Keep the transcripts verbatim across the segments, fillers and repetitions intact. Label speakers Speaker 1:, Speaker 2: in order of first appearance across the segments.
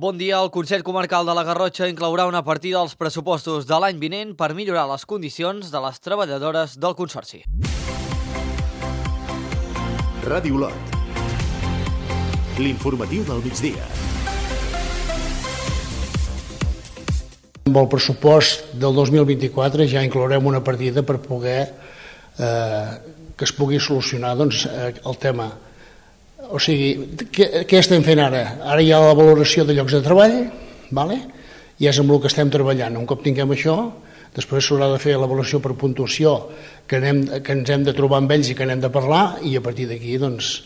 Speaker 1: Bon dia. El Consell Comarcal de la Garrotxa inclourà una partida als pressupostos de l'any vinent per millorar les condicions de les treballadores del Consorci.
Speaker 2: Ràdio Olot. L'informatiu del migdia.
Speaker 3: Amb el pressupost del dos mil vint-i-quatre ja inclourem una partida per poder eh, que es pugui solucionar doncs, el tema. O sigui, què, què estem fent ara? Ara hi ha la valoració de llocs de treball, vale? I és amb el que estem treballant. Un cop tinguem això, després s'haurà de fer l'avaluació per puntuació que, anem, que ens hem de trobar amb ells i que n'hem de parlar, i a partir d'aquí doncs,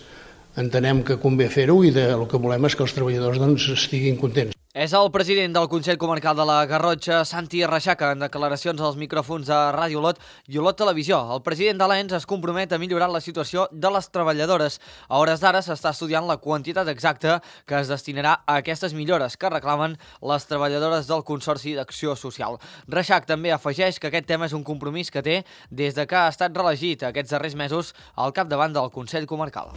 Speaker 3: entenem que convé fer-ho i de, el que volem és que els treballadors doncs, estiguin contents.
Speaker 1: És el president del Consell Comarcal de la Garrotxa, Santi Reixaca, en declaracions als micròfons de Ràdio Olot i Olot Televisió. El president de l'E N S es compromet a millorar la situació de les treballadores. A hores d'ara s'està estudiant la quantitat exacta que es destinarà a aquestes millores que reclamen les treballadores del Consorci d'Acció Social. Reixac també afegeix que aquest tema és un compromís que té des de que ha estat reelegit aquests darrers mesos al capdavant del Consell Comarcal.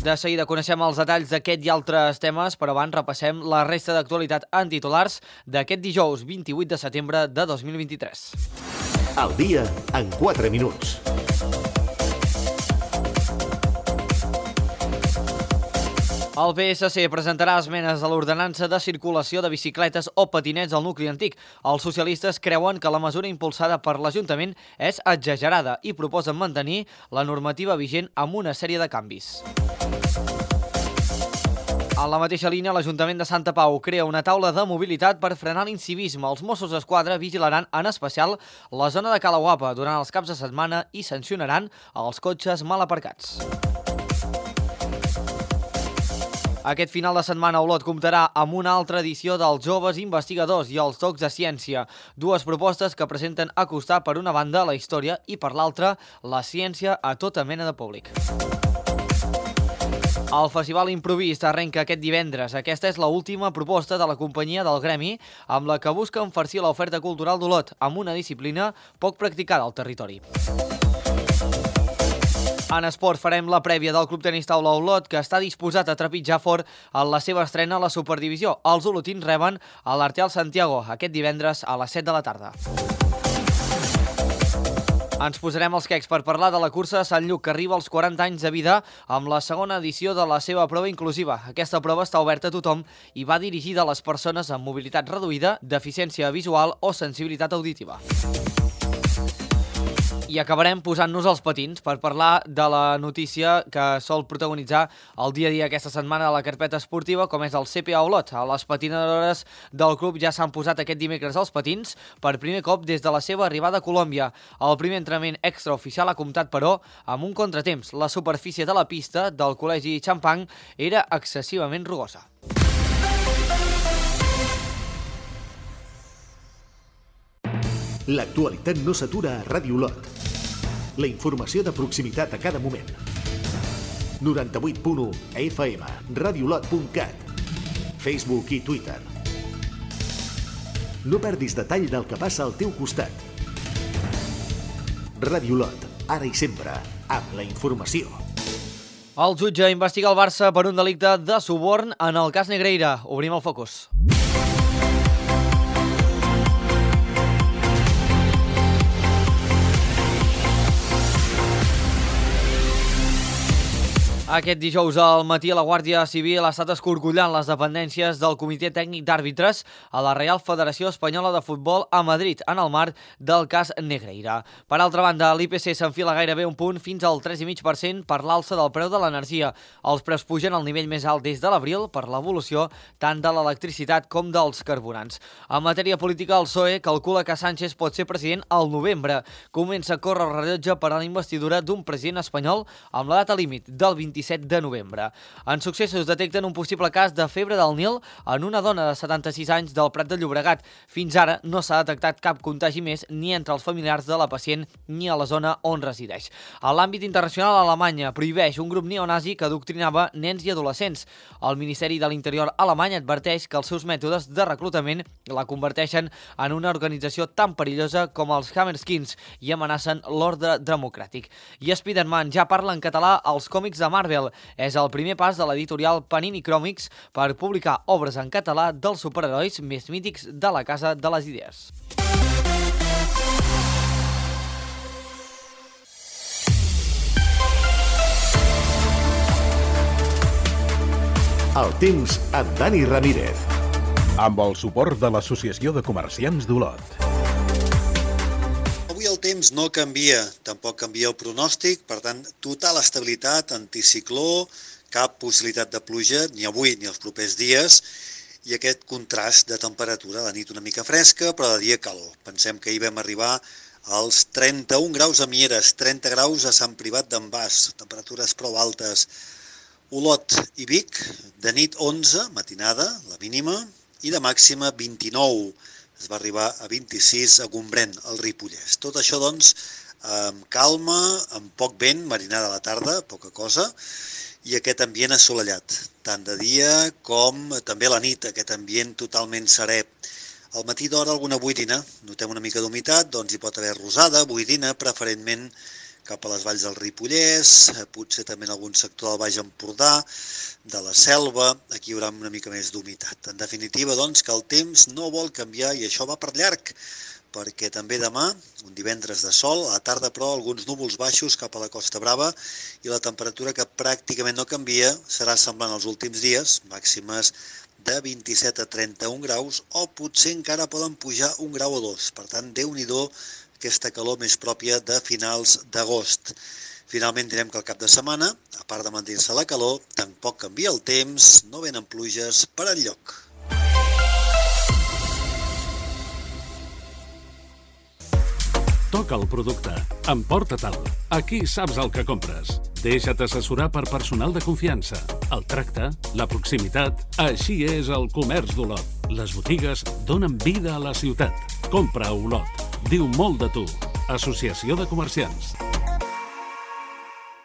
Speaker 1: De seguida coneixem els detalls d'aquest i altres temes, però abans repassem la resta d'actualitat en titulars d'aquest dijous vint-i-vuit de setembre de dos mil vint-i-tres.
Speaker 2: El dia en quatre minuts.
Speaker 1: El P S C presentarà esmenes a l'ordenança de circulació de bicicletes o patinets al nucli antic. Els socialistes creuen que la mesura impulsada per l'Ajuntament és exagerada i proposen mantenir la normativa vigent amb una sèrie de canvis. A la mateixa línia, l'Ajuntament de Santa Pau crea una taula de mobilitat per frenar l'incivisme. Els Mossos d'Esquadra vigilaran en especial la zona de Cala Guapa durant els caps de setmana i sancionaran els cotxes mal aparcats. Aquest final de setmana Olot comptarà amb una altra edició dels Joves Investigadors i els Tocs de Ciència, dues propostes que presenten acostar per una banda la història i per l'altra la ciència a tota mena de públic. El Festival Improvist arrenca aquest divendres. Aquesta és l'última proposta de la companyia del Gremi, amb la que busca enfarcir l'oferta cultural d'Olot amb una disciplina poc practicada al territori. En esport farem la prèvia del Club Tenis Taula Olot, que està disposat a trepitjar fort en la seva estrena a la Superdivisió. Els olotins reben a l'Arteal Santiago aquest divendres a les set de la tarda. Ens posarem els quecs per parlar de la cursa de Sant Lluc, que arriba als quaranta anys de vida amb la segona edició de la seva prova inclusiva. Aquesta prova està oberta a tothom i va dirigida a les persones amb mobilitat reduïda, deficiència visual o sensibilitat auditiva. I acabarem posant-nos els patins per parlar de la notícia que sol protagonitzar el dia a dia aquesta setmana de la carpeta esportiva, com és el C P A Olot. Les patinadores del club ja s'han posat aquest dimecres als patins per primer cop des de la seva arribada a Colòmbia. El primer entrenament extraoficial ha comptat, però, amb un contratemps. La superfície de la pista del Col·legi Champang era excessivament rugosa.
Speaker 2: L'actualitat no s'atura a Ràdio Olot. La informació de proximitat a cada moment. noranta-vuit punt u F M, radiolot punt cat, Facebook i Twitter. No perdis detall del que passa al teu costat. Ràdio Olot, ara i sempre, amb la informació.
Speaker 1: El jutge investiga el Barça per un delicte de suborn en el cas Negreira. Obrim el focus. Aquest dijous al matí la Guàrdia Civil ha estat escorcollant les dependències del Comitè Tècnic d'Àrbitres a la Real Federació Espanyola de Futbol a Madrid, en el marc del cas Negreira. Per altra banda, l'I P C s'enfila gairebé un punt fins al tres coma cinc per cent per l'alça del preu de l'energia. Els preus pugen al nivell més alt des de l'abril per l'evolució tant de l'electricitat com dels carburants. En matèria política, el P S O E calcula que Sánchez pot ser president al novembre. Comença a córrer el rellotge per a la investidura d'un president espanyol amb la data límit del vint-i-set de novembre. En successos detecten un possible cas de febre del Nil en una dona de setanta-sis anys del Prat de Llobregat. Fins ara no s'ha detectat cap contagi més ni entre els familiars de la pacient ni a la zona on resideix. A l'àmbit internacional, Alemanya prohibeix un grup neonazi que adoctrinava nens i adolescents. El Ministeri de l'Interior alemany adverteix que els seus mètodes de reclutament la converteixen en una organització tan perillosa com els Hammerskins i amenacen l'ordre democràtic. I Spider-Man ja parla en català als còmics de Marvel. Marvel. És el primer pas de l'editorial Panini Comics per publicar obres en català dels superherois més mítics de la Casa de les Idees.
Speaker 2: El temps amb Dani Ramírez.
Speaker 4: Amb el suport de l'Associació de Comerciants d'Olot.
Speaker 5: Avui el temps no canvia, tampoc canvia el pronòstic, per tant, total estabilitat, anticicló, cap possibilitat de pluja, ni avui ni els propers dies, i aquest contrast de temperatura, la nit una mica fresca, però de dia calor. Pensem que ahir vam arribar als trenta-un graus a Mieres, trenta graus a Sant Privat d'en Bas, temperatures prou altes. Olot i Vic, de nit onze, matinada, la mínima, i de màxima vint-i-nou. Es va arribar a vint-i-sis a Gombrèn, al Ripollès. Tot això, doncs, amb calma, amb poc vent, marinada a la tarda, poca cosa, i aquest ambient assolellat, tant de dia com també a la nit, aquest ambient totalment serè. Al matí d'hora alguna boirina, notem una mica d'humitat, doncs hi pot haver rosada, boirina, preferentment cap a les valls del Ripollès, potser també en algun sector del Baix Empordà, de la Selva, aquí hi haurà una mica més d'humitat. En definitiva, doncs, que el temps no vol canviar i això va per llarg, perquè també demà, un divendres de sol, a la tarda però alguns núvols baixos cap a la Costa Brava i la temperatura que pràcticament no canvia serà semblant als últims dies, màximes de vint-i-set a trenta-un graus o potser encara poden pujar un grau o dos. Per tant, Déu-n'hi-do aquesta calor més pròpia de finals d'agost. Finalment direm que el cap de setmana, a part de mantenir-se la calor, tampoc canvia el temps, no venen pluges per enlloc.
Speaker 6: Toca el producte, emporta-te'l, aquí saps el que compres. Deixa't assessorar per personal de confiança. El tracte, la proximitat, així és el comerç d'Olot. Les botigues donen vida a la ciutat. Compra a Olot. Diu molt de tu. Associació de Comerciants.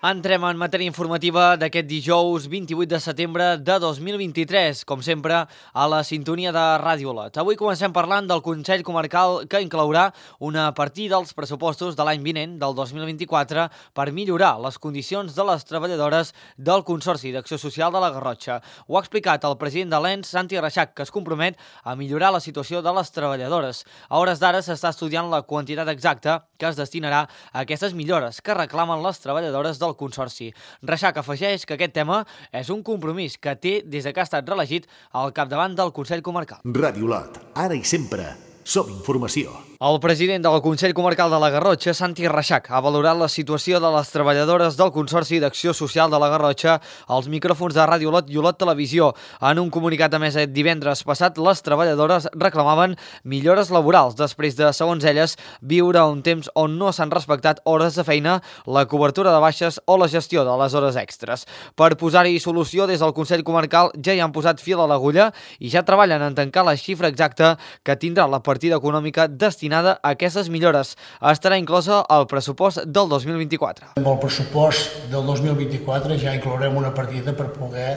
Speaker 1: Entrem en matèria informativa d'aquest dijous vint-i-vuit de setembre de dos mil vint-i-tres, com sempre, a la sintonia de Ràdio Olot. Avui comencem parlant del Consell Comarcal que inclourà una partida dels pressupostos de l'any vinent, del dos mil vint-i-quatre, per millorar les condicions de les treballadores del Consorci d'Acció Social de la Garrotxa. Ho ha explicat el president de l'E N S, Santi Reixac, que es compromet a millorar la situació de les treballadores. A hores d'ara s'està estudiant la quantitat exacta que es destinarà a aquestes millores que reclamen les treballadores del Consorci. Reixac afegeix que aquest tema és un compromís que té des que ha estat reelegit al capdavant del Consell Comarcal.
Speaker 2: Ràdio Olot, ara i sempre, som informació.
Speaker 1: El president del Consell Comarcal de la Garrotxa, Santi Reixac, ha valorat la situació de les treballadores del Consorci d'Acció Social de la Garrotxa als micròfons de Ràdio Olot i Olot Televisió. En un comunicat emès divendres passat, les treballadores reclamaven millores laborals després de, segons elles, viure un temps on no s'han respectat hores de feina, la cobertura de baixes o la gestió de les hores extres. Per posar-hi solució, des del Consell Comarcal ja hi han posat fil a l'agulla i ja treballen en tancar la xifra exacta que tindrà la partida econòmica destinada a aquestes millores. Estarà inclosa al pressupost del dos mil vint-i-quatre.
Speaker 3: Amb el pressupost del dos mil vint-i-quatre ja inclourem una partida per poder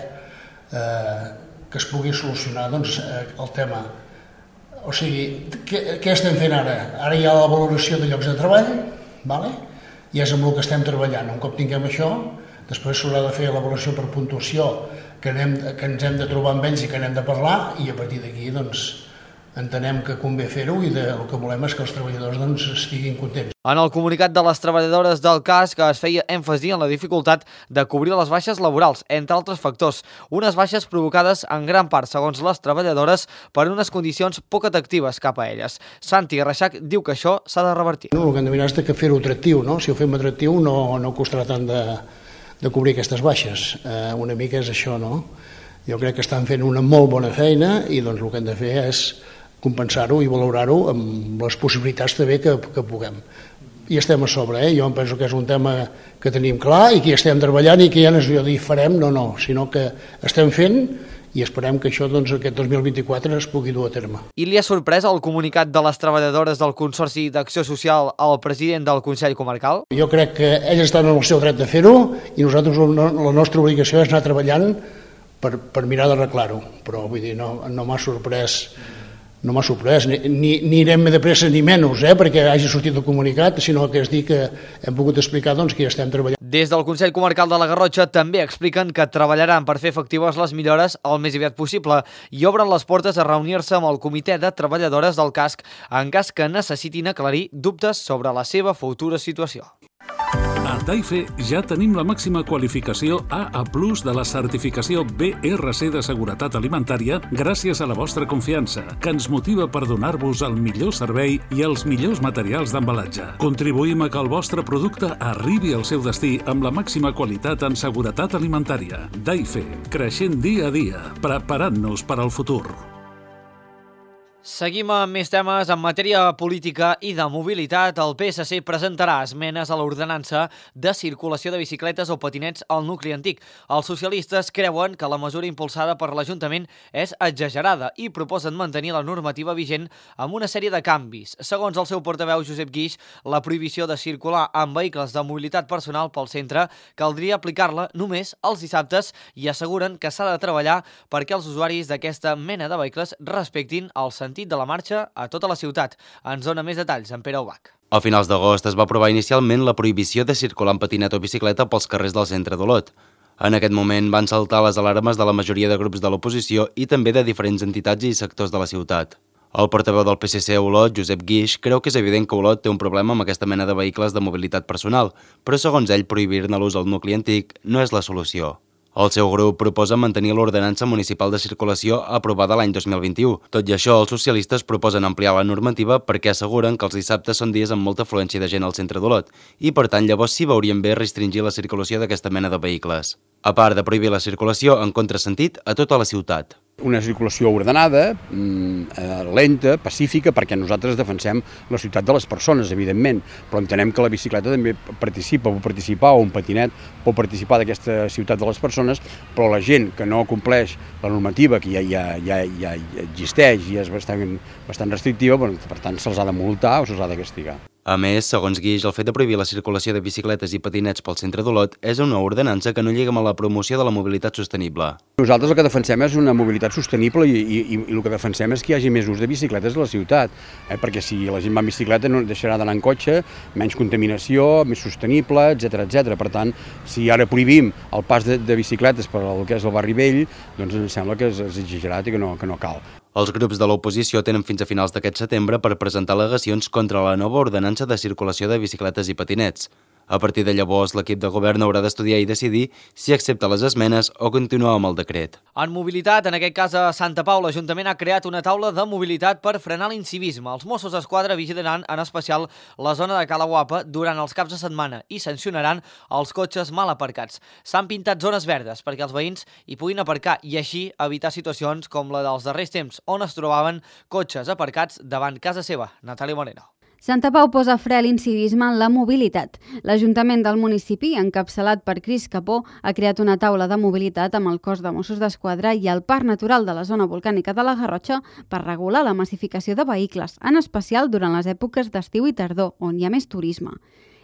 Speaker 3: eh, que es pugui solucionar doncs, el tema. O sigui, què, què estem fent ara? Ara hi ha la valoració de llocs de treball, vale? I és amb el que estem treballant. Un cop tinguem això, després s'haurà de fer l'avaluació per puntuació que, anem, que ens hem de trobar amb ells i que anem de parlar, i a partir d'aquí doncs, entenem que convé fer-ho i de, el que volem és que els treballadors doncs, estiguin contents.
Speaker 1: En el comunicat de les treballadores del C A S, que es feia èmfasi en la dificultat de cobrir les baixes laborals, entre altres factors, unes baixes provocades en gran part, segons les treballadores, per unes condicions poc atractives cap a elles. Santi Reixac diu que això s'ha de revertir.
Speaker 3: No, el que hem de mirar és que fer-ho atractiu, no? Si ho fem atractiu no, no costarà tant de, de cobrir aquestes baixes. Eh, una mica és això, no? Jo crec que estan fent una molt bona feina i doncs el que hem de fer és compensar-ho i valorar-ho amb les possibilitats també que, que puguem. I estem a sobre, eh? Jo em penso que és un tema que tenim clar i que hi estem treballant i que ja no és allò de dir farem, no, no, sinó que estem fent i esperem que això doncs, aquest dos mil vint-i-quatre es pugui dur a terme.
Speaker 1: I li ha sorprès el comunicat de les treballadores del Consorci d'Acció Social al president del Consell Comarcal?
Speaker 3: Jo crec que ells estan en el seu dret de fer-ho i nosaltres la nostra obligació és anar treballant per, per mirar d'arreglar-ho, però vull dir, no, no m'ha sorprès No m'ha sorprès, ni, ni, ni anem de pressa ni menys, eh, perquè hagi sortit el comunicat, sinó que és dir que hem pogut explicar doncs, que ja estem treballant.
Speaker 1: Des del Consell Comarcal de la Garrotxa també expliquen que treballaran per fer efectives les millores el més aviat possible i obren les portes a reunir-se amb el comitè de treballadores del casc en cas que necessitin aclarir dubtes sobre la seva futura situació.
Speaker 6: A Taife ja tenim la màxima qualificació A A plus de la certificació B R C de seguretat alimentària gràcies a la vostra confiança, que ens motiva per donar-vos el millor servei i els millors materials d'embalatge. Contribuïm a que el vostre producte arribi al seu destí amb la màxima qualitat en seguretat alimentària. Taife, creixent dia a dia, preparant-nos per al futur.
Speaker 1: Seguim amb més temes. En matèria política i de mobilitat, el P S C presentarà esmenes a l'ordenança de circulació de bicicletes o patinets al nucli antic. Els socialistes creuen que la mesura impulsada per l'Ajuntament és exagerada i proposen mantenir la normativa vigent amb una sèrie de canvis. Segons el seu portaveu Josep Guix, la prohibició de circular amb vehicles de mobilitat personal pel centre caldria aplicar-la només els dissabtes i asseguren que s'ha de treballar perquè els usuaris d'aquesta mena de vehicles respectin el sentit de la marxa a tota la ciutat. Ens dona més detalls en Pere Ubach.
Speaker 7: A finals d'agost es va aprovar inicialment la prohibició de circular amb patinet o bicicleta pels carrers del centre d'Olot. En aquest moment van saltar les alarmes de la majoria de grups de l'oposició i també de diferents entitats i sectors de la ciutat. El portaveu del P S C a Olot, Josep Guix, creu que és evident que Olot té un problema amb aquesta mena de vehicles de mobilitat personal, però segons ell prohibir-ne l'ús al nucli antic no és la solució. El seu grup proposa mantenir l'ordenança municipal de circulació aprovada l'any dos mil vint-i-u. Tot i això, els socialistes proposen ampliar la normativa perquè asseguren que els dissabtes són dies amb molta afluència de gent al centre d'Olot i, per tant, llavors sí veurien bé restringir la circulació d'aquesta mena de vehicles. A part de prohibir la circulació en contrasentit a tota la ciutat.
Speaker 8: Una circulació ordenada, lenta, pacífica, perquè nosaltres defensem la ciutat de les persones, evidentment, però entenem que la bicicleta també participa, pot participar, o un patinet pot participar d'aquesta ciutat de les persones, però la gent que no compleix la normativa, que ja, ja, ja, ja existeix i és bastant, bastant restrictiva, bueno, per tant se'ls ha de multar o se'ls ha de castigar.
Speaker 7: A més, segons Guix, el fet de prohibir la circulació de bicicletes i patinets pel centre d'Olot és una ordenança que no lliga amb la promoció de la mobilitat sostenible.
Speaker 8: Nosaltres el que defensem és una mobilitat sostenible i, i, i el que defensem és que hi hagi més ús de bicicletes a la ciutat, eh? perquè si la gent va en bicicleta no deixarà d'anar en cotxe, menys contaminació, més sostenible, etcètera, etcètera. Per tant, si ara prohibim el pas de, de bicicletes per al que és el barri vell, doncs em sembla que és, és exagerat i que no, que no cal.
Speaker 7: Els grups de l'oposició tenen fins a finals d'aquest setembre per presentar al·legacions contra la nova ordenança de circulació de bicicletes i patinets. A partir de llavors, l'equip de govern haurà d'estudiar i decidir si accepta les esmenes o continua amb el decret.
Speaker 1: En mobilitat, en aquest cas a Santa Pau, l'Ajuntament ha creat una taula de mobilitat per frenar l'incivisme. Els Mossos d'Esquadra vigilaran en especial la zona de Cala Guapa durant els caps de setmana i sancionaran els cotxes mal aparcats. S'han pintat zones verdes perquè els veïns hi puguin aparcar i així evitar situacions com la dels darrers temps on es trobaven cotxes aparcats davant casa seva. Natàlia Moreno.
Speaker 9: Santa Pau posa fre a l'incivisme en la mobilitat. L'Ajuntament del municipi, encapçalat per Cris Capó, ha creat una taula de mobilitat amb el cos de Mossos d'Esquadra i el Parc Natural de la Zona Volcànica de la Garrotxa per regular la massificació de vehicles, en especial durant les èpoques d'estiu i tardor, on hi ha més turisme.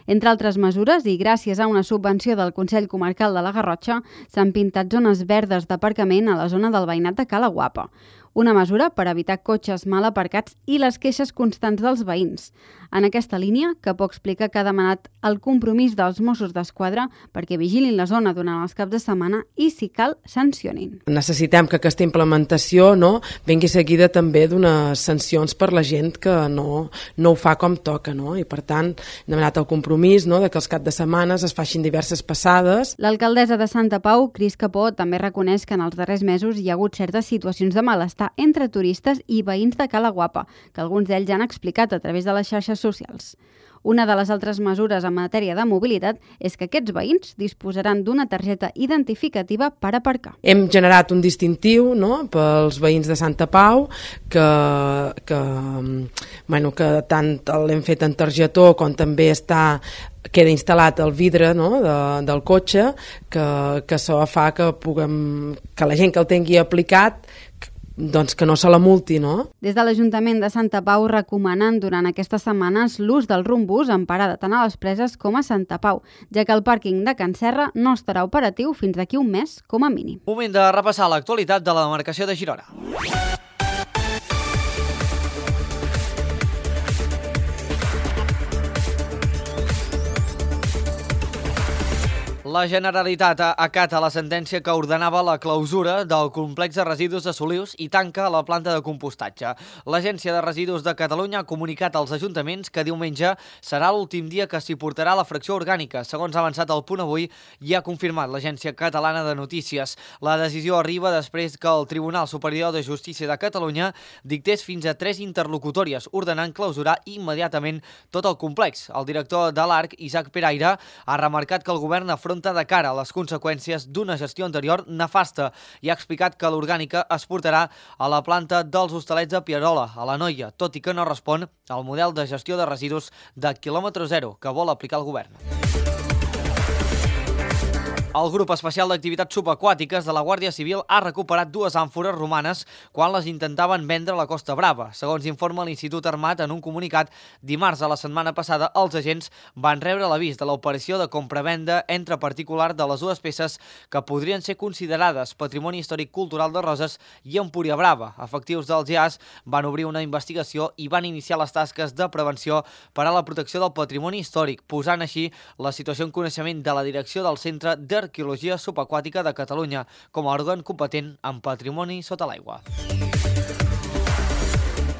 Speaker 9: Entre altres mesures, i gràcies a una subvenció del Consell Comarcal de la Garrotxa, s'han pintat zones verdes d'aparcament a la zona del veïnat de Cala Guapa. Una mesura per evitar cotxes mal aparcats i les queixes constants dels veïns. En aquesta línia, Capó explica que ha demanat el compromís dels Mossos d'Esquadra perquè vigilin la zona durant els caps de setmana i, si cal, sancionin.
Speaker 10: Necessitem que aquesta implementació no, vingui seguida també d'unes sancions per la gent que no, no ho fa com toca. No? I, per tant, hem demanat el compromís no, de que els caps de setmanes es facin diverses passades.
Speaker 9: L'alcaldessa de Santa Pau, Cris Capó, també reconeix que en els darrers mesos hi ha hagut certes situacions de malestar entre turistes i veïns de Cala Guapa, que alguns d'ells han explicat a través de les xarxes socials. Una de les altres mesures en matèria de mobilitat és que aquests veïns disposaran d'una targeta identificativa per aparcar.
Speaker 10: Hem generat un distintiu no, pels veïns de Santa Pau que, que, bueno, que tant l'hem fet en targetó com també està queda instal·lat el vidre no, de, del cotxe que, que això fa que, puguem, que la gent que el tingui aplicat doncs que no se la multi, no?
Speaker 9: Des de l'Ajuntament de Santa Pau recomanen durant aquestes setmanes l'ús del rumbús en parada tant a les Preses com a Santa Pau, ja que el pàrquing de Can Serra no estarà operatiu fins d'aquí un mes com a mínim.
Speaker 1: Moment de repassar l'actualitat de la demarcació de Girona. La Generalitat acata la sentència que ordenava la clausura del complex de residus de Solius i tanca la planta de compostatge. L'Agència de Residus de Catalunya ha comunicat als ajuntaments que diumenge serà l'últim dia que s'hi portarà la fracció orgànica, segons ha avançat el Punt Avui i ha confirmat l'Agència Catalana de Notícies. La decisió arriba després que el Tribunal Superior de Justícia de Catalunya dictés fins a tres interlocutòries, ordenant clausurar immediatament tot el complex. El director de l'A R C, Isaac Peraire, ha remarcat que el govern afronta de cara a les conseqüències d'una gestió anterior nefasta i ha explicat que l'orgànica es portarà a la planta dels Hostalets de Pierola, a l'Anoia, tot i que no respon al model de gestió de residus de quilòmetre zero que vol aplicar el govern. El Grup Especial d'Activitats Subaquàtiques de la Guàrdia Civil ha recuperat dues àmfores romanes quan les intentaven vendre a la Costa Brava. Segons informa l'Institut Armat en un comunicat, dimarts de la setmana passada els agents van rebre l'avís de l'operació de compra-venda entre particular de les dues peces que podrien ser considerades Patrimoni Històric Cultural de Roses i Empúria Brava. Efectius dels G A S van obrir una investigació i van iniciar les tasques de prevenció per a la protecció del patrimoni històric, posant així la situació en coneixement de la direcció del Centre de Arqueologia Subaquàtica de Catalunya com a òrgan competent en patrimoni sota l'aigua.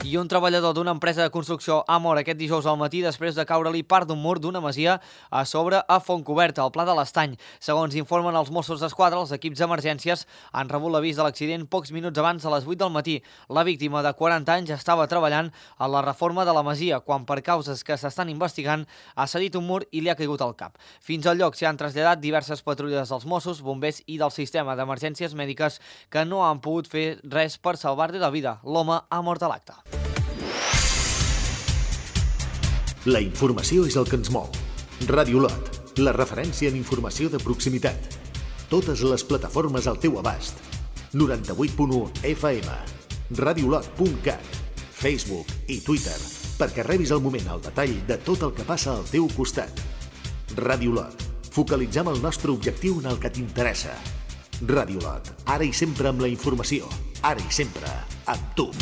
Speaker 1: I un treballador d'una empresa de construcció ha mort aquest dijous al matí després de caure-li part d'un mur d'una masia a sobre a Fontcoberta, al Pla de l'Estany. Segons informen els Mossos d'Esquadra, els equips d'emergències han rebut l'avís de l'accident pocs minuts abans de les vuit del matí. La víctima, de quaranta anys, estava treballant a la reforma de la masia quan, per causes que s'estan investigant, ha cedit un mur i li ha caigut al cap. Fins al lloc s'hi han traslladat diverses patrulles dels Mossos, bombers i del sistema d'emergències mèdiques que no han pogut fer res per salvar-li la vida. L'home ha mort a l'acte.
Speaker 2: La informació és el que ens mou. Ràdio Lot, la referència en informació de proximitat. Totes les plataformes al teu abast. noranta-vuit punt u F M, radiolot punt cat, Facebook i Twitter, perquè rebis al moment el detall de tot el que passa al teu costat. Ràdio Lot, focalitzem el nostre objectiu en el que t'interessa. Ràdio Lot, ara i sempre amb la informació, ara i sempre amb tu.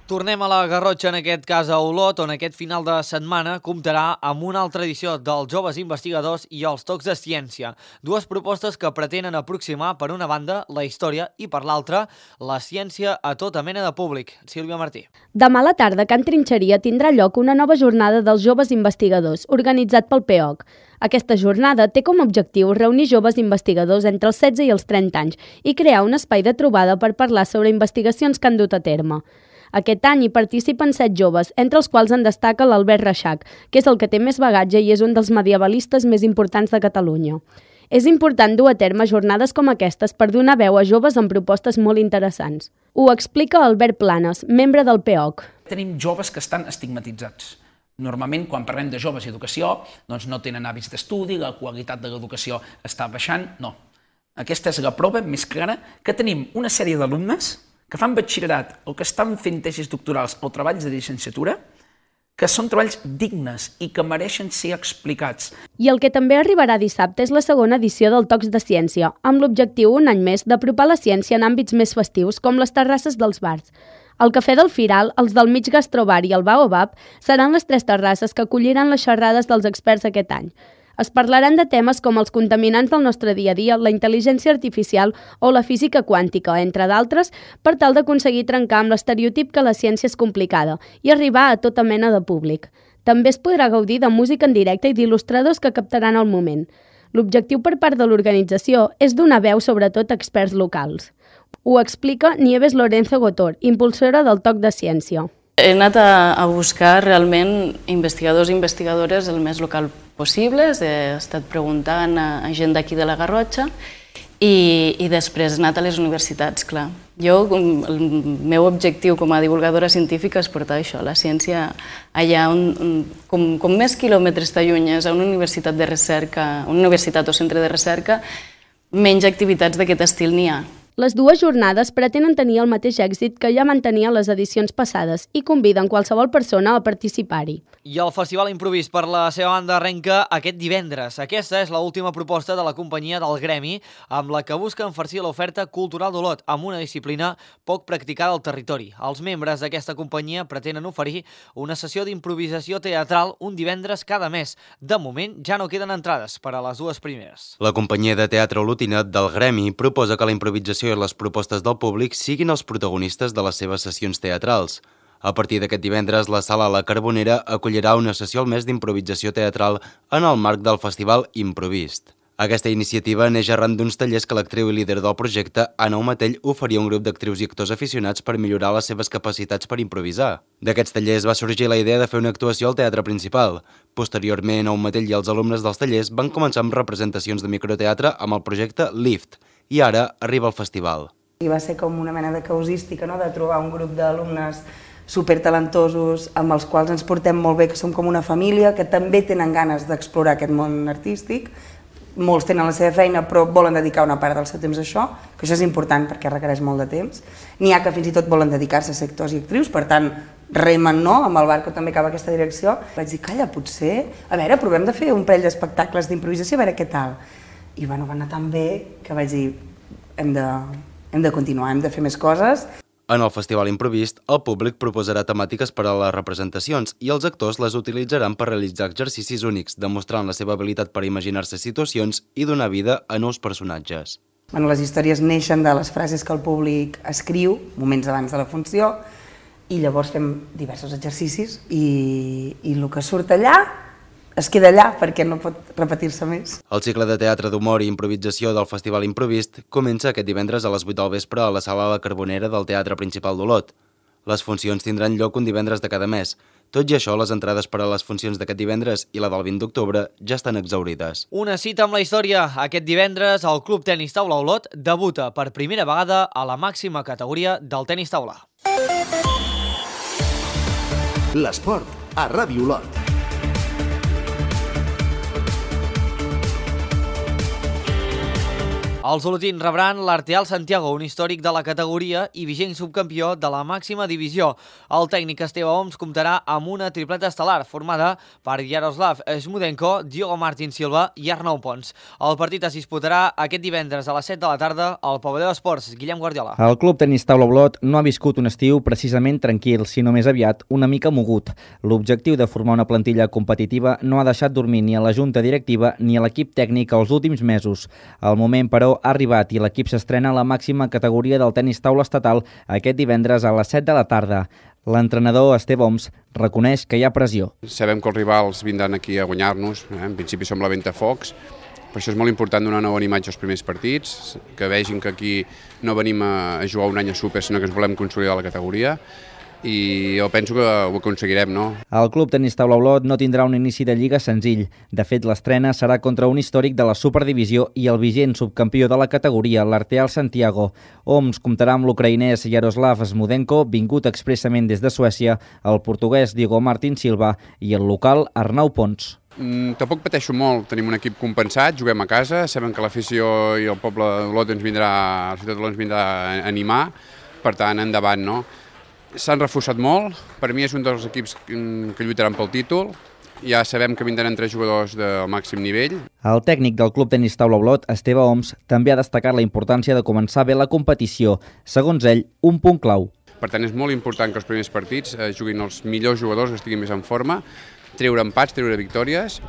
Speaker 1: Tornem a la Garrotxa, en aquest cas a Olot, on aquest final de setmana comptarà amb una altra edició dels Joves Investigadors i els Tocs de Ciència. Dues propostes que pretenen aproximar, per una banda, la història i, per l'altra, la ciència a tota mena de públic. Sílvia Martí.
Speaker 11: Demà a la tarda, a Can Trinxeria, tindrà lloc una nova jornada dels Joves Investigadors, organitzat pel P E O C. Aquesta jornada té com a objectiu reunir joves investigadors entre els setze i els trenta anys i crear un espai de trobada per parlar sobre investigacions que han dut a terme. Aquest any hi participen set joves, entre els quals en destaca l'Albert Reixac, que és el que té més bagatge i és un dels medievalistes més importants de Catalunya. És important dur a terme jornades com aquestes per donar veu a joves amb propostes molt interessants. Ho explica Albert Planes, membre del P E O C.
Speaker 12: Tenim joves que estan estigmatitzats. Normalment, quan parlem de joves i educació, doncs no tenen hàbits d'estudi, la qualitat de l'educació està baixant, no. Aquesta és la prova més clara que tenim una sèrie d'alumnes que fan batxillerat o que estan fent tesis doctorals o treballs de llicenciatura, que són treballs dignes i que mereixen ser explicats.
Speaker 11: I el que també arribarà dissabte és la segona edició del Tocs de Ciència, amb l'objectiu un any més d'apropar la ciència en àmbits més festius, com les terrasses dels bars. El Cafè del Firal, els del Mig Gastrobar i el Baobab seran les tres terrasses que acolliran les xerrades dels experts aquest any. Es parlaran de temes com els contaminants del nostre dia a dia, la intel·ligència artificial o la física quàntica, entre d'altres, per tal d'aconseguir trencar amb l'estereotip que la ciència és complicada i arribar a tota mena de públic. També es podrà gaudir de música en directe i d'il·lustradors que captaran el moment. L'objectiu per part de l'organització és donar veu sobretot a experts locals. Ho explica Nieves Lorenzo Gotor, impulsora del Toc de Ciència.
Speaker 13: He anat a, a buscar realment investigadors i investigadores el més local possible, he estat preguntant a, a gent d'aquí de la Garrotxa i, i després he anat a les universitats, clar. Jo, el meu objectiu com a divulgadora científica és portar això, la ciència allà on, com, com més quilòmetres t'allunyes a una universitat de recerca, una universitat o centre de recerca, menys activitats d'aquest estil n'hi ha.
Speaker 11: Les dues jornades pretenen tenir el mateix èxit que ja mantenia les edicions passades i conviden qualsevol persona a participar-hi.
Speaker 1: I el Festival Improvist per la seva banda arrenca aquest divendres. Aquesta és l'última proposta de la companyia del Gremi, amb la que busca enfarcir l'oferta cultural d'Olot amb una disciplina poc practicada al territori. Els membres d'aquesta companyia pretenen oferir una sessió d'improvisació teatral un divendres cada mes. De moment ja no queden entrades per a les dues primeres.
Speaker 7: La companyia de teatre olotina del Gremi proposa que la improvisació i les propostes del públic siguin els protagonistes de les seves sessions teatrals. A partir d'aquest divendres, la Sala La Carbonera acollirà una sessió al mes d'improvisació teatral en el marc del Festival Improvist. Aquesta iniciativa neix arran d'uns tallers que l'actriu i líder del projecte, Anna Omatell, oferia a un grup d'actrius i actors aficionats per millorar les seves capacitats per improvisar. D'aquests tallers va sorgir la idea de fer una actuació al Teatre Principal. Posteriorment, Omatell i els alumnes dels tallers van començar amb representacions de microteatre amb el projecte Lift, i ara arriba el festival.
Speaker 14: I va ser com una mena de causística, no?, de trobar un grup d'alumnes supertalentosos amb els quals ens portem molt bé, que som com una família, que també tenen ganes d'explorar aquest món artístic. Molts tenen la seva feina però volen dedicar una part del seu temps a això, que això és important perquè requereix molt de temps. N'hi ha que fins i tot volen dedicar-se a ser actors i actrius, per tant remen, no?, amb el barco també cap a aquesta direcció. Vaig dir, calla, potser, a veure, provem de fer un parell d'espectacles d'improvisació, a veure què tal. I bueno, va anar tan bé que vaig dir, hem de, hem de continuar, hem de fer més coses.
Speaker 7: En el Festival Improvist, el públic proposarà temàtiques per a les representacions i els actors les utilitzaran per realitzar exercicis únics, demostrant la seva habilitat per imaginar-se situacions i donar vida a nous personatges.
Speaker 14: Bueno, les històries neixen de les frases que el públic escriu moments abans de la funció i llavors fem diversos exercicis i, i el que surt allà es queda allà perquè no pot repetir-se més.
Speaker 7: El cicle de teatre d'humor i improvisació del Festival Improvist comença aquest divendres a les vuit del vespre a la Sala La Carbonera del Teatre Principal d'Olot. Les funcions tindran lloc un divendres de cada mes. Tot i això, les entrades per a les funcions d'aquest divendres i la del vint d'octubre ja estan exhaurides.
Speaker 1: Una cita amb la història. Aquest divendres el Club Tenis Taula Olot debuta per primera vegada a la màxima categoria del tenis taula.
Speaker 2: L'esport a Ràdio Olot.
Speaker 1: Els olotins rebran l'Arteal Santiago, un històric de la categoria i vigent subcampió de la màxima divisió. El tècnic Esteve Oms comptarà amb una tripleta estel·lar formada per Jaroslav Smudenko, Diogo Martín Silva i Arnau Pons. El partit es disputarà aquest divendres a les set de la tarda al pavelló d'esports. Guillem Guardiola.
Speaker 15: El Club Tenis Taula Olot no ha viscut un estiu precisament tranquil, sinó més aviat una mica mogut. L'objectiu de formar una plantilla competitiva no ha deixat dormir ni a la junta directiva ni a l'equip tècnic els últims mesos. Al moment, però, ha arribat i l'equip s'estrena a la màxima categoria del tenis taula estatal aquest divendres a les set de la tarda. L'entrenador Esteve Oms reconeix que hi ha pressió.
Speaker 8: Sabem que els rivals vindran aquí a guanyar-nos, eh? En principi som la Ventafocs, per això és molt important donar una bona imatge als primers partits, que vegin que aquí no venim a jugar un any a súper, sinó que ens volem consolidar la categoria. I jo penso que ho aconseguirem, no?
Speaker 15: El Club Tenis Taula Olot no tindrà un inici de lliga senzill. De fet, l'estrena serà contra un històric de la Superdivisió i el vigent subcampió de la categoria, l'Arteal Santiago. Oms comptarà amb l'ucraïnès Jaroslav Smudenko, vingut expressament des de Suècia, el portuguès Diogo Martín Silva i el local Arnau Pons.
Speaker 8: Mm, tampoc pateixo molt, tenim un equip compensat, juguem a casa, sabem que l'afició i el poble d'Olot ens vindrà, la ciutat d'Olot ens vindrà a animar, per tant, endavant, no? S'han reforçat molt, per mi és un dels equips que lluitaran pel títol, ja sabem que vindran tres jugadors del màxim nivell.
Speaker 15: El tècnic del Club Tenis Taula Olot, Esteve Oms, també ha destacat la importància de començar bé la competició, segons ell, un punt clau.
Speaker 8: Per tant, és molt important que els primers partits eh, juguin els millors jugadors que estiguin més en forma, treure empats, treure victòries,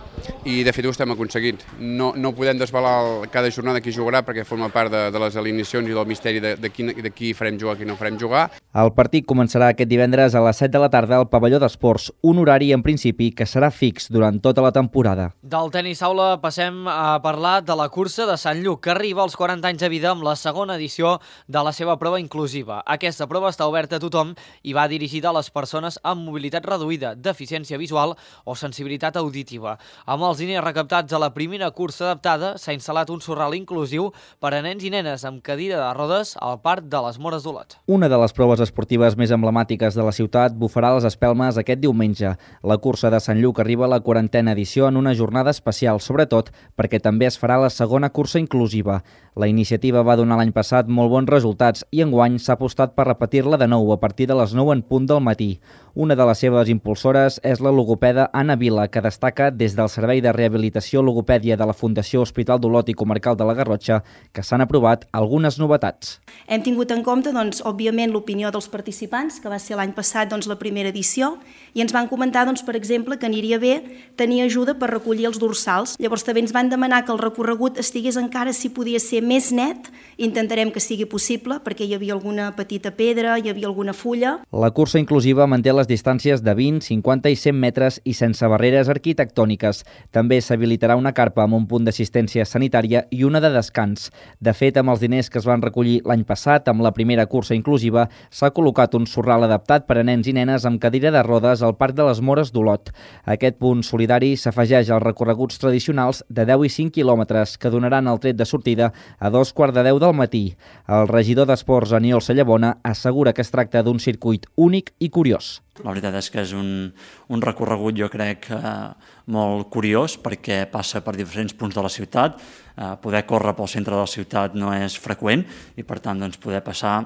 Speaker 8: i de fet ho estem aconseguint. No, no podem desvelar cada jornada qui jugarà perquè forma part de, de les alineacions i del misteri de, de, qui, de qui farem jugar, qui no farem jugar.
Speaker 15: El partit començarà aquest divendres a les set de la tarda al pavelló d'esports, un horari en principi que serà fix durant tota la temporada.
Speaker 1: Del tenis taula passem a parlar de la cursa de Sant Lluc, que arriba als quaranta anys de vida amb la segona edició de la seva prova inclusiva. Aquesta prova està oberta a tothom i va dirigida a les persones amb mobilitat reduïda, deficiència visual o sensibilitat auditiva. Amb els diners recaptats a la primera cursa adaptada s'ha instal·lat un sorral inclusiu per a nens i nenes amb cadira de rodes al Parc de les Mores d'Olot.
Speaker 15: Una de les proves proves esportives més emblemàtiques de la ciutat bufarà les espelmes aquest diumenge. La cursa de Sant Lluc arriba a la quarantena edició en una jornada especial, sobretot perquè també es farà la segona cursa inclusiva. La iniciativa va donar l'any passat molt bons resultats i enguany s'ha apostat per repetir-la de nou a partir de les nou en punt del matí. Una de les seves impulsores és la logopeda Anna Vila, que destaca des del Servei de Rehabilitació Logopèdia de la Fundació Hospital d'Olot i Comarcal de la Garrotxa que s'han aprovat algunes novetats.
Speaker 16: Hem tingut en compte, doncs, òbviament, l'opinió dels participants, que va ser l'any passat doncs, la primera edició, i ens van comentar, doncs, per exemple, que aniria bé tenir ajuda per recollir els dorsals. Llavors també ens van demanar que el recorregut estigués encara, si podia ser, més net. Intentarem que sigui possible, perquè hi havia alguna petita pedra, hi havia alguna fulla.
Speaker 15: La cursa inclusiva manté les distàncies de vint, cinquanta i cent metres i sense barreres arquitectòniques. També s'habilitarà una carpa amb un punt d'assistència sanitària i una de descans. De fet, amb els diners que es van recollir l'any passat amb la primera cursa inclusiva, s'ha col·locat un sorral adaptat per a nens i nenes amb cadira de rodes al Parc de les Mores d'Olot. Aquest punt solidari s'afegeix als recorreguts tradicionals de deu i cinc quilòmetres que donaran el tret de sortida a dos quarts de deu del matí. El regidor d'Esports, Aniol Sallabona, assegura que es tracta d'un circuit únic i curiós.
Speaker 17: La veritat és que és un, un recorregut, jo crec, eh, molt curiós perquè passa per diferents punts de la ciutat. Eh, poder córrer pel centre de la ciutat no és freqüent i, per tant, doncs, poder passar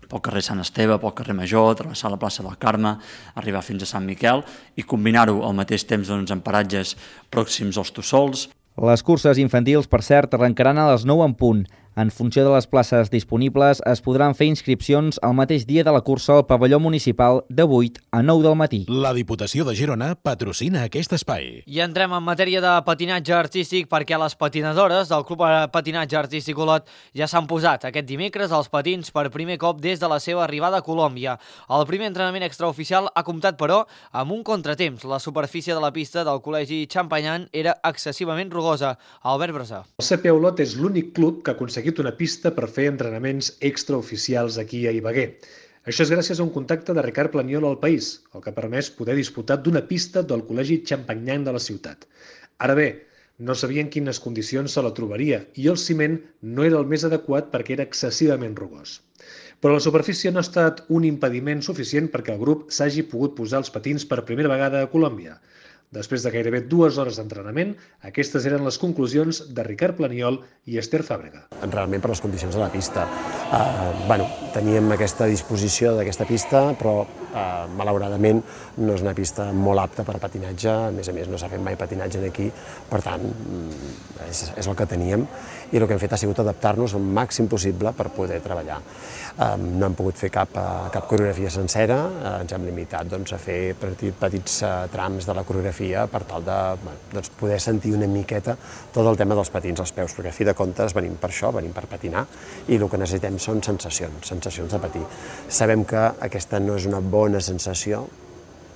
Speaker 17: pel carrer Sant Esteve, pel carrer Major, travessar la plaça del Carme, arribar fins a Sant Miquel i combinar-ho al mateix temps doncs, en paratges pròxims als Tossols.
Speaker 15: Les curses infantils, per cert, arrencaran a les nou en punt. En funció de les places disponibles, es podran fer inscripcions el mateix dia de la cursa al pavelló municipal de vuit a nou del matí.
Speaker 4: La Diputació de Girona patrocina aquest espai.
Speaker 1: I entrem en matèria de patinatge artístic perquè les patinadores del Club Patinatge Artístic Olot ja s'han posat aquest dimecres als patins per primer cop des de la seva arribada a Colòmbia. El primer entrenament extraoficial ha comptat, però, amb un contratemps. La superfície de la pista del Col·legi Champagnat era excessivament rugosa. Albert Brasà.
Speaker 18: El C P Olot és l'únic club que ha aconseguit una pista per fer entrenaments extraoficials aquí a Ibagué. Això és gràcies a un contacte de Ricard Planiol al País, el que ha permès poder disputar d'una pista del Col·legi Champagnat de la ciutat. Ara bé, no sabien quines condicions se la trobaria i el ciment no era el més adequat perquè era excessivament rugós. Però la superfície no ha estat un impediment suficient perquè el grup s'hagi pogut posar els patins per primera vegada a Colòmbia. Després de gairebé dues hores d'entrenament, aquestes eren les conclusions de Ricard Planiol i Esther Fàbrega.
Speaker 19: Realment per les condicions de la pista. Uh, bueno, teníem aquesta disposició d'aquesta pista, però uh, malauradament no és una pista molt apta per a patinatge, a més a més no s'ha fet mai patinatge aquí, per tant és, és el que teníem i el que hem fet ha sigut adaptar-nos al màxim possible per poder treballar. Uh, no hem pogut fer cap, uh, cap coreografia sencera, uh, ens hem limitat doncs, a fer petits, petits uh, trams de la coreografia per tal de bueno, doncs, poder sentir una miqueta tot el tema dels patins als peus, perquè a fi de comptes venim per això, venim per patinar i el que necessitem són sensacions, sensacions de patir. Sabem que aquesta no és una bona sensació,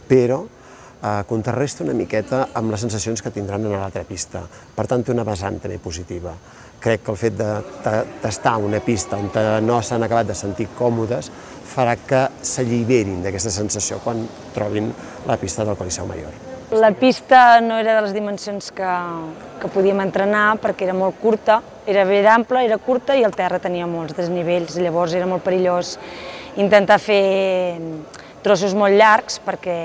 Speaker 19: però eh, contrarresta una miqueta amb les sensacions que tindran en l'altra pista. Per tant, té una vessant també positiva. Crec que el fet de tastar una pista on no s'han acabat de sentir còmodes farà que s'alliberin d'aquesta sensació quan trobin la pista del Coliseu Mayor.
Speaker 20: La pista no era de les dimensions que, que podíem entrenar perquè era molt curta, era ben ampla, era curta i el terra tenia molts desnivells, llavors era molt perillós intentar fer trossos molt llargs perquè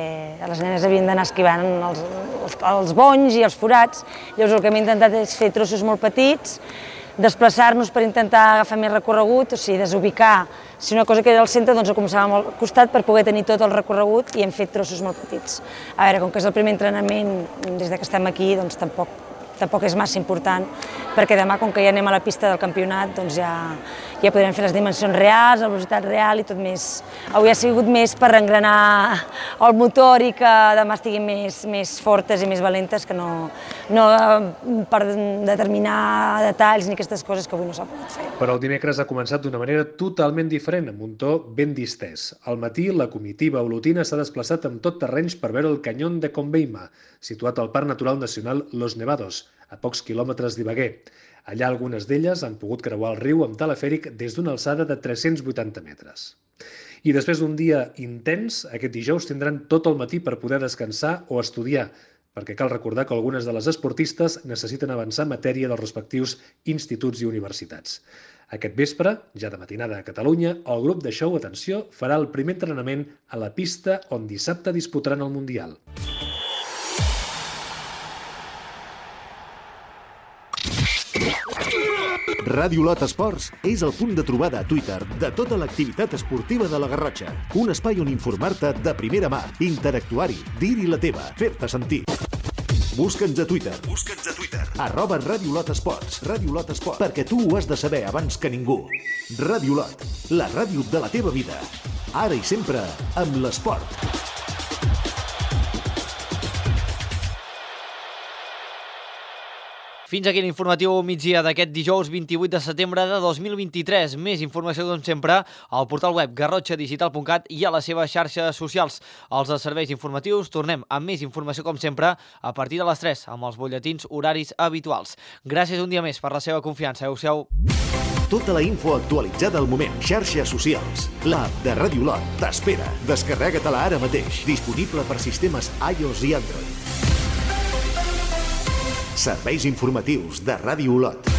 Speaker 20: les nenes havien d'anar esquivant els, els, els bonys i els forats, llavors el que hem intentat és fer trossos molt petits, desplaçar-nos per intentar agafar més recorregut, o sigui, desubicar. Si una cosa que era al centre, doncs ho començàvem al costat per poder tenir tot el recorregut i hem fet trossos molt petits. A veure, com que és el primer entrenament, des que estem aquí, doncs tampoc, tampoc és massa important, perquè demà, com que ja anem a la pista del campionat, doncs ja, ja podrem fer les dimensions reals, la velocitat real i tot més. Avui ha sigut més per engranar el motor i que demà estiguin més, més fortes i més valentes que no, no per determinar detalls ni aquestes coses que avui no s'ha pogut fer.
Speaker 18: Però el dimecres ha començat d'una manera totalment diferent, amb un to ben distès. Al matí, la comitiva olotina s'ha desplaçat amb tot terrenys per veure el Canyón de Conveima, situat al Parc Natural Nacional Los Nevados, a pocs quilòmetres d'Ibagué. Allà algunes d'elles han pogut creuar el riu amb telefèric des d'una alçada de tres-cents vuitanta metres. I després d'un dia intens, aquest dijous tindran tot el matí per poder descansar o estudiar. perquè cal recordar que algunes de les esportistes necessiten avançar en matèria dels respectius instituts i universitats. Aquest vespre, ja de matinada a Catalunya, el grup de Show Atenció farà el primer entrenament a la pista on dissabte disputaran el Mundial.
Speaker 2: Ràdio Lot Esports és el punt de trobada a Twitter de tota l'activitat esportiva de la Garrotxa. Un espai on informar-te de primera mà, interactuar-hi, dir-hi la teva, fer-te sentir. Busca'ns a Twitter. Busca'ns a Twitter. Arroba Ràdio Lot Esports. Ràdio Lot Esports. Perquè tu ho has de saber abans que ningú. Ràdio Lot, la ràdio de la teva vida. Ara i sempre amb l'esport.
Speaker 1: Fins aquí l'informatiu migdia d'aquest dijous vint-i-vuit de setembre de dos mil vint-i-tres. Més informació, com sempre, al portal web garrotxa digital punt cat i a les seves xarxes socials. Els de serveis informatius tornem amb més informació, com sempre, a partir de les tres, amb els butlletins horaris habituals. Gràcies un dia més per la seva confiança. Adéu-siau.
Speaker 2: Tota la info actualitzada al moment. Xarxes socials. L'app de Ràdio Lot t'espera. Descarrega-te-la ara mateix. Disponible per sistemes iOS i Android. Serveis informatius de Ràdio Lot.